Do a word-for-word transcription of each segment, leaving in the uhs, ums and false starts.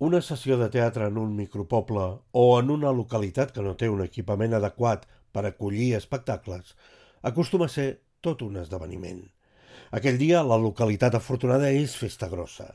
Una sessió de teatre en un micropoble o en una localitat que no té un equipament adequat per acollir espectacles acostuma a ser tot un esdeveniment. Aquell dia la localitat afortunada és Festa Grossa.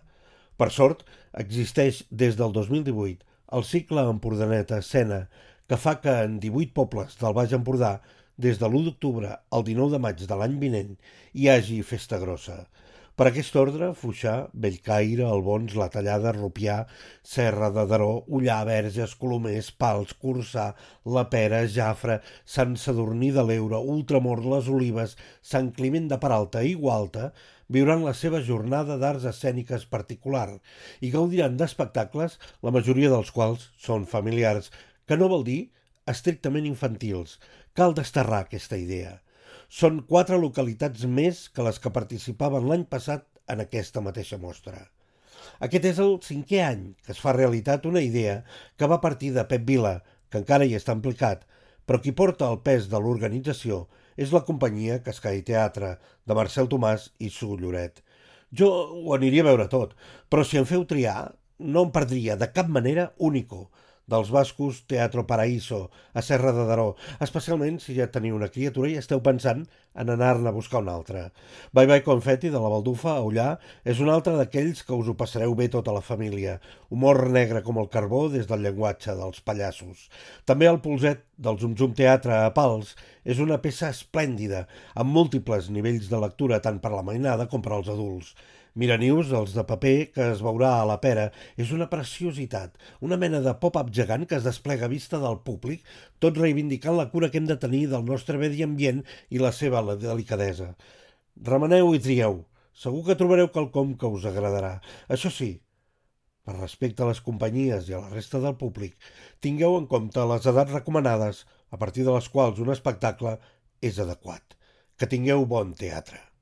Per sort, existeix des del dos mil divuit el cicle Empordanet a Escena, que fa que en divuit pobles del Baix Empordà, des de l'u d'octubre al dinou de maig de l'any vinent, hi hagi Festa Grossa. Per aquest ordre, Foixà, Bellcaire, Albons, La Tallada, Rupià, Serra de Daró, Ullà, Verges, Colomers, Pals, Corçà, La Pera, Jafre, Sant Sadurní de l'Eure, Ultramort, Les Olives, Sant Climent de Peralta i Gualta viuran la seva jornada d'arts escèniques particular i gaudiran d'espectacles, la majoria dels quals són familiars, que no vol dir estrictament infantils. Cal desterrar aquesta idea. Són quatre localitats més que les que participaven l'any passat en aquesta mateixa mostra. Aquest és el cinquè any que es fa realitat una idea que va partir de Pep Vila, que encara hi està implicat, però qui porta el pes de l'organització és la companyia Cascai Teatre, de Marcel Tomàs i Su Lloret. Jo ho aniria a veure tot, però si em feu triar, no em perdria de cap manera Único, dels bascos Teatro Paraíso, a Serra de Daró, especialment si ja teniu una criatura i esteu pensant en anar-ne a buscar una altra. Bye Bye Confetti, de la Baldufa, a Ullà, és un altre d'aquells que us ho passareu bé tota la família. Humor negre com el carbó des del llenguatge dels pallassos. També el Polset, del Zum Zum Teatre a Pals, és una peça esplèndida, amb múltiples nivells de lectura tant per la mainada com per als adults. Miranius, els de paper, que es veurà a la Pera, és una preciositat, una mena de pop-up gegant que es desplega a vista del públic, tot reivindicant la cura que hem de tenir del nostre medi ambient i la seva delicadesa. Remeneu i trieu. Segur que trobareu quelcom que us agradarà. Això sí, per respecte a les companyies i a la resta del públic, tingueu en compte les edats recomanades, a partir de les quals un espectacle és adequat. Que tingueu bon teatre.